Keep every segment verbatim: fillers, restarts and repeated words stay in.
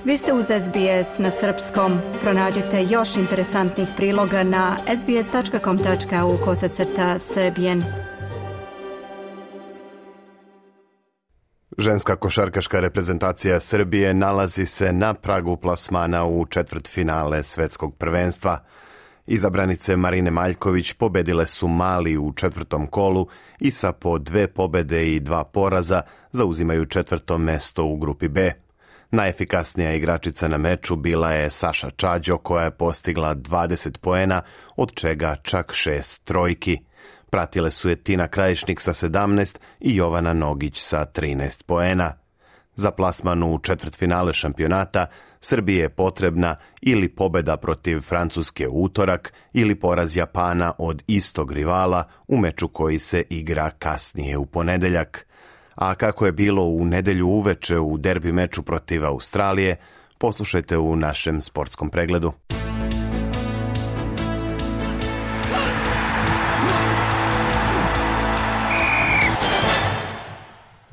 Vi ste uz S B S na srpskom. Pronađite još interesantnih priloga na sbs tačka com tačka au kosacrta srbijen. Ženska košarkaška reprezentacija Srbije nalazi se na pragu plasmana u četvrtfinale svetskog prvenstva. Izabranice Marine Maljković pobedile su Mali u četvrtom kolu i sa po dve pobede i dva poraza zauzimaju četvrto mesto u grupi B. Najefikasnija igračica na meču bila je Saša Čađo koja je postigla dvadeset poena, od čega čak šest trojki. Pratile su je Tina Krajišnik sa sedamnaest i Jovana Nogić sa trinaest poena. Za plasman u četvrtfinale šampionata Srbiji je potrebna ili pobeda protiv Francuske u utorak ili poraz Japana od istog rivala u meču koji se igra kasnije u ponedeljak. A kako je bilo u nedelju uveče u derbi meču protiv Australije, poslušajte u našem sportskom pregledu.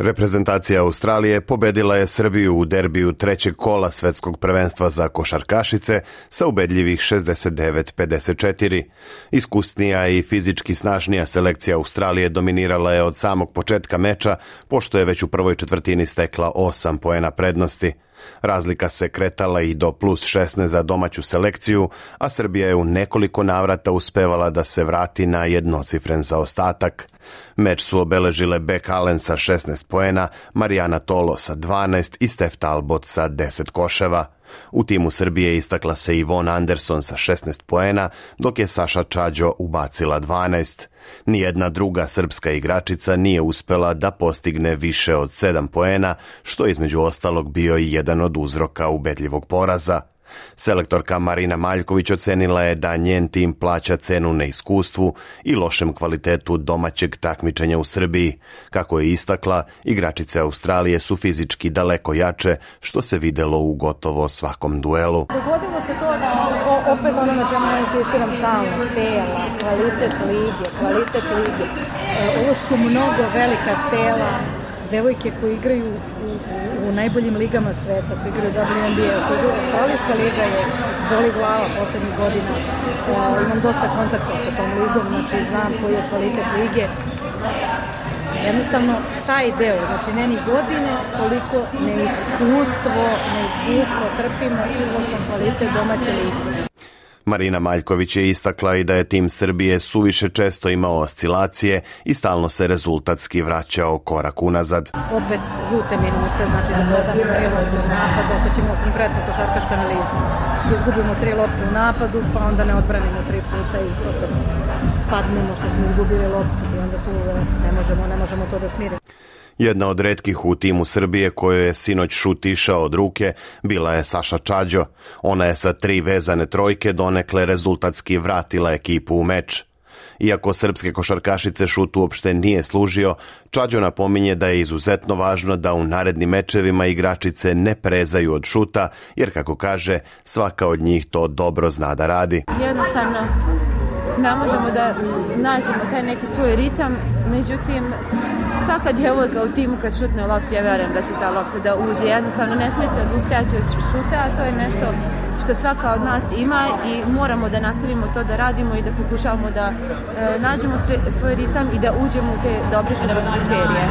Reprezentacija Australije pobedila je Srbiju u derbiju trećeg kola svetskog prvenstva za košarkašice sa ubedljivih šezdeset devet pedeset četiri. Iskusnija i fizički snažnija selekcija Australije dominirala je od samog početka meča, pošto je već u prvoj četvrtini stekla osam poena prednosti. Razlika se kretala i do plus šesnaest za domaću selekciju, a Srbija je u nekoliko navrata uspevala da se vrati na jednocifren zaostatak. Meč su obeležile Beck Allen sa šesnaest poena, Marijana Tolo sa dvanaest i Steph Talbot sa deset koševa. U timu Srbije istakla se Yvonne Anderson sa šesnaest poena, dok je Saša Čađo ubacila dvanaest. Nijedna druga srpska igračica nije uspela da postigne više od sedam poena, što je između ostalog bio i jedan od uzroka ubedljivog poraza. Selektorka Marina Maljković ocenila je da njen tim plaća cenu neiskustvu i lošem kvalitetu domaćeg takmičenja u Srbiji. Kako je istakla, igračice Australije su fizički daleko jače, što se videlo u gotovo svakom duelu. Dogodilo se to da opet ono na čemu ja insistiram stalno, tela, kvalitet lige, kvalitet lige. Ovo su mnogo velika tela, devojke koji igraju u, u, u najboljim ligama sveta, koji igraju W N B A, koji igraju Australijska liga je boli glava poslednjih godina. E, imam dosta kontakta sa tom ligom, znači znam koji je kvalitet lige. Jednostavno, taj deo, znači ne ni godine, koliko neiskustvo, neiskustvo trpimo i izlasan kvalitet domaće lige. Marina Maljković je istakla i da je tim Srbije suviše često imao oscilacije i stalno se rezultatski vraćao korak unazad. Opet žute minute, znači da dodamo tri lopte u napadu, ako ćemo konkretno košarkaška analiza. Izgubimo tri lopte u napadu, pa onda ne odbranimo tri puta i opet padnemo što smo izgubili loptu i onda tu ne možemo, ne možemo to da smirimo. Jedna od retkih u timu Srbije kojoj je sinoć šut išao od ruke bila je Saša Čađo. Ona je sa tri vezane trojke donekle rezultatski vratila ekipu u meč. Iako srpske košarkašice šut uopšte nije služio, Čađo napominje da je izuzetno važno da u narednim mečevima igračice ne prezaju od šuta, jer kako kaže, svaka od njih to dobro zna da radi. Jednostavno ne možemo da nađemo taj neki svoj ritam, međutim svaka djevojka u timu kad šutne loptu, ja verujem da će ta lopta da uđe. Jednostavno ne smije se odustajati od šuta, a to je nešto što svaka od nas ima i moramo da nastavimo to da radimo i da pokušavamo da e, nađemo svoj, svoj ritam i da uđemo u te dobre šutarske serije.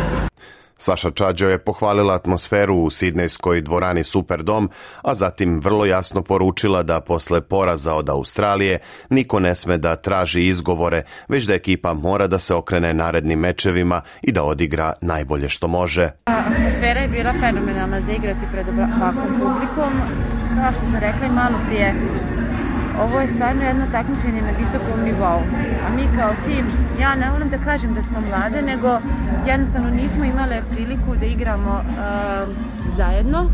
Saša Čađo je pohvalila atmosferu u sidnejskoj dvorani Superdom, a zatim vrlo jasno poručila da posle poraza od Australije niko ne sme da traži izgovore, već da ekipa mora da se okrene narednim mečevima i da odigra najbolje što može. Atmosfera je bila fenomenalna za igrati pred ovakvom publikom. Kao što sam rekla i malo prije, ovo je stvarno jedno takmičenje na visokom nivou, a mi kao tim, ja ne volim da kažem da smo mlade, nego jednostavno nismo imale priliku da igramo uh, zajedno,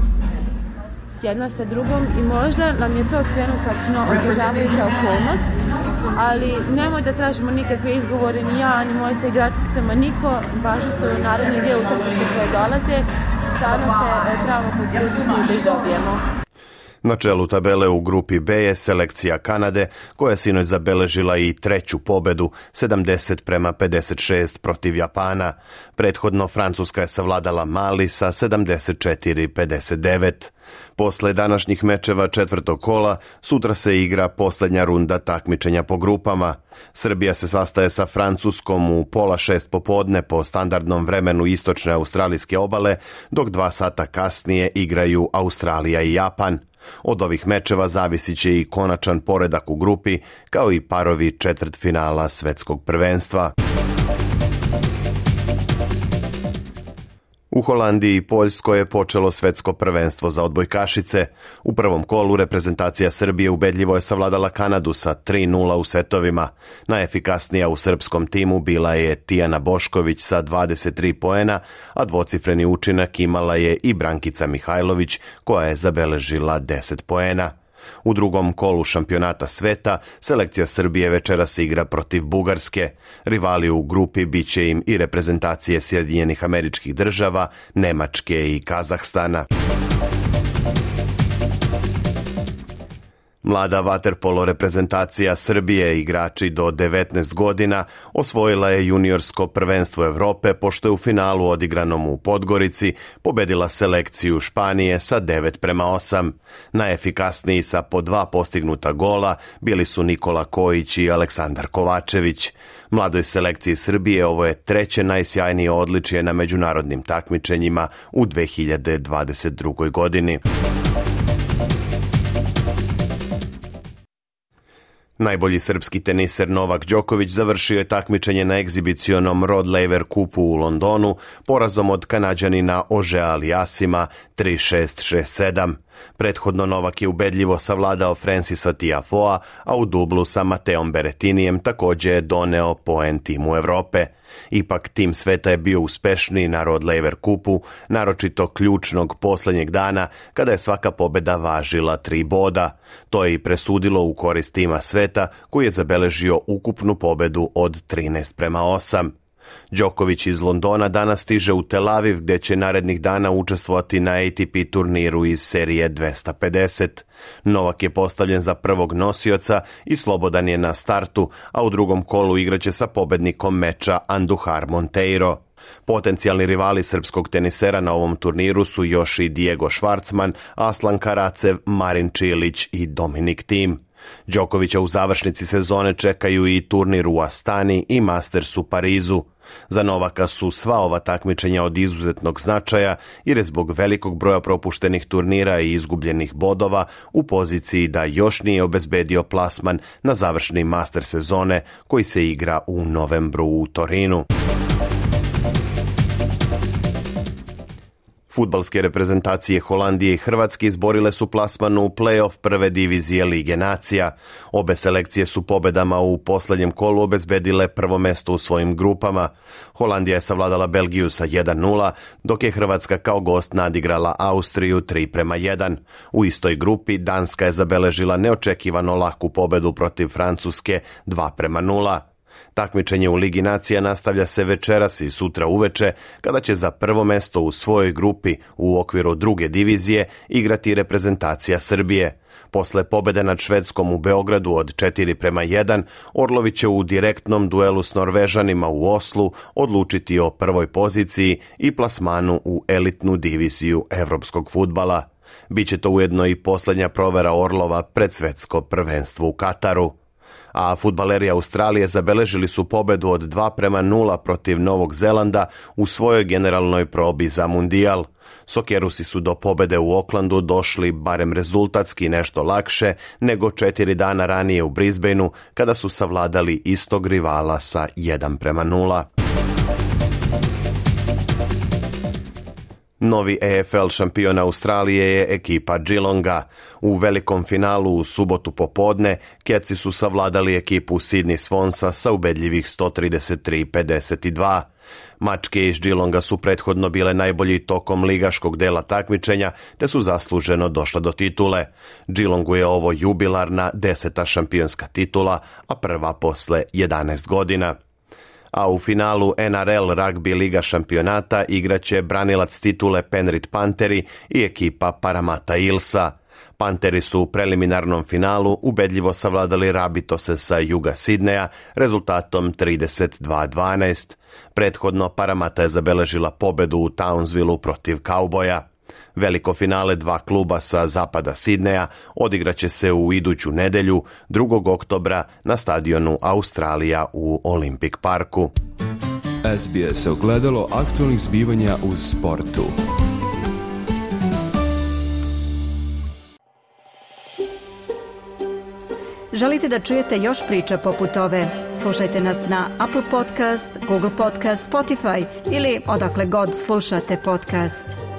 jedna sa drugom i možda nam je to trenutačno otežavajuća okolnost, ali nemoj da tražimo nikakve izgovore, ni ja, ni moje sa igračicama, niko, važno su naredne dvije utakmice koje dolaze, stvarno se trebamo potruditi da ih dobijemo. Na čelu tabele u grupi B je selekcija Kanade, koja je sinoć zabeležila i treću pobedu, sedamdeset prema pedeset šest protiv Japana. Prethodno Francuska je savladala Mali sa sedamdeset četiri pedeset devet. Posle današnjih mečeva četvrtog kola, sutra se igra posljednja runda takmičenja po grupama. Srbija se sastaje sa Francuskom u pola šest popodne po standardnom vremenu istočne australijske obale, dok dva sata kasnije igraju Australija i Japan. Od ovih mečeva zavisit će i konačan poredak u grupi, kao i parovi četvrtfinala svetskog prvenstva. U Holandiji i Poljskoj je počelo svetsko prvenstvo za odbojkašice. U prvom kolu reprezentacija Srbije ubedljivo je savladala Kanadu sa tri nula u setovima. Najefikasnija u srpskom timu bila je Tijana Bošković sa dvadeset tri poena, a dvocifreni učinak imala je i Brankica Mihajlović, koja je zabeležila deset poena. U drugom kolu šampionata sveta selekcija Srbije večeras igra protiv Bugarske. Rivali u grupi bit će im i reprezentacije Sjedinjenih Američkih Država, Nemačke i Kazahstana. Mlada vaterpolo reprezentacija Srbije, igrači do devetnaest godina, osvojila je juniorsko prvenstvo Evrope pošto je u finalu odigranom u Podgorici pobedila selekciju Španije sa devet prema osam. Najefikasniji sa po dva postignuta gola bili su Nikola Kojić i Aleksandar Kovačević. Mladoj selekciji Srbije ovo je treće najsjajnije odličje na međunarodnim takmičenjima u dve hiljade dvadeset drugoj godini. Najbolji srpski teniser Novak Đoković završio je takmičenje na egzibicionom Rod Laver kupu u Londonu porazom od Kanađanina Ožea Aliasima tri šest šest sedam. Prethodno Novak je ubedljivo savladao Francisa Tiafoea, a u dublu sa Mateom Berettinijem također je doneo poen timu Evrope. Ipak tim sveta je bio uspešniji na Rod Laver kupu, naročito ključnog posljednjeg dana kada je svaka pobjeda važila tri boda. To je i presudilo u korist tima sveta koji je zabeležio ukupnu pobjedu od trinaest prema osam. Đoković iz Londona danas stiže u Tel Aviv gdje će narednih dana učestvovati na A T P turniru iz serije dvesta pedeset. Novak je postavljen za prvog nosioca i slobodan je na startu, a u drugom kolu igraće sa pobednikom meča Andujar Monteiro. Potencijalni rivali srpskog tenisera na ovom turniru su još i Diego Švarcman, Aslan Karacev, Marin Čilić i Dominik Thiem. Đokovića u završnici sezone čekaju i turnir u Astani i Masters u Parizu. Za Novaka su sva ova takmičenja od izuzetnog značaja jer je zbog velikog broja propuštenih turnira i izgubljenih bodova u poziciji da još nije obezbedio plasman na završni Master sezone koji se igra u novembru u Torinu. Fudbalske reprezentacije Holandije i Hrvatske izborile su plasman u play-off prve divizije Lige nacija. Obe selekcije su pobedama u posljednjem kolu obezbedile prvo mesto u svojim grupama. Holandija je savladala Belgiju sa jedan nula, dok je Hrvatska kao gost nadigrala Austriju tri prema jedan. U istoj grupi Danska je zabeležila neočekivano laku pobedu protiv Francuske dva prema nula. Takmičenje u Ligi nacija nastavlja se večeras i sutra uveče, kada će za prvo mesto u svojoj grupi u okviru druge divizije igrati reprezentacija Srbije. Posle pobede nad Švedskom u Beogradu od četiri prema jedan, Orlovi će u direktnom duelu s Norvežanima u Oslu odlučiti o prvoj poziciji i plasmanu u elitnu diviziju evropskog fudbala. Biće to ujedno i posljednja provera Orlova pred svetsko prvenstvo u Kataru. A fudbaleri Australije zabeležili su pobedu od dva prema nula protiv Novog Zelanda u svojoj generalnoj probi za mundijal. Sokerusi su do pobede u Aucklandu došli barem rezultatski nešto lakše nego četiri dana ranije u Brisbaneu kada su savladali istog rivala sa jedan prema nula. Novi A F L šampion Australije je ekipa Geelonga. U velikom finalu u subotu popodne Catsi su savladali ekipu Sydney Swansa sa ubedljivih sto trideset tri pedeset dva. Mačke iz Geelonga su prethodno bile najbolji tokom ligaškog dela takmičenja, te su zasluženo došle do titule. Geelongu je ovo jubilarna deseta šampionska titula, a prva posle jedanaest godina. A u finalu N R L Rugby Liga šampionata igraće branilac titule Penrith Pantheri i ekipa Parramatta Eelsa. Panteri su u preliminarnom finalu ubedljivo savladali Rabitose sa juga Sidneja rezultatom trideset dva dvanaest. Prethodno Paramata je zabeležila pobedu u Townsvilleu protiv Kauboja. Veliko finale dva kluba sa zapada Sidneja odigraće se u iduću nedelju, drugog oktobra, na stadionu Australija u Olympic Parku. S B S ogledalo aktualnih zbivanja u sportu. Želite da čujete još priča poput ove? Slušajte nas na Apple Podcast, Google Podcast, Spotify ili odakle god slušate podcast.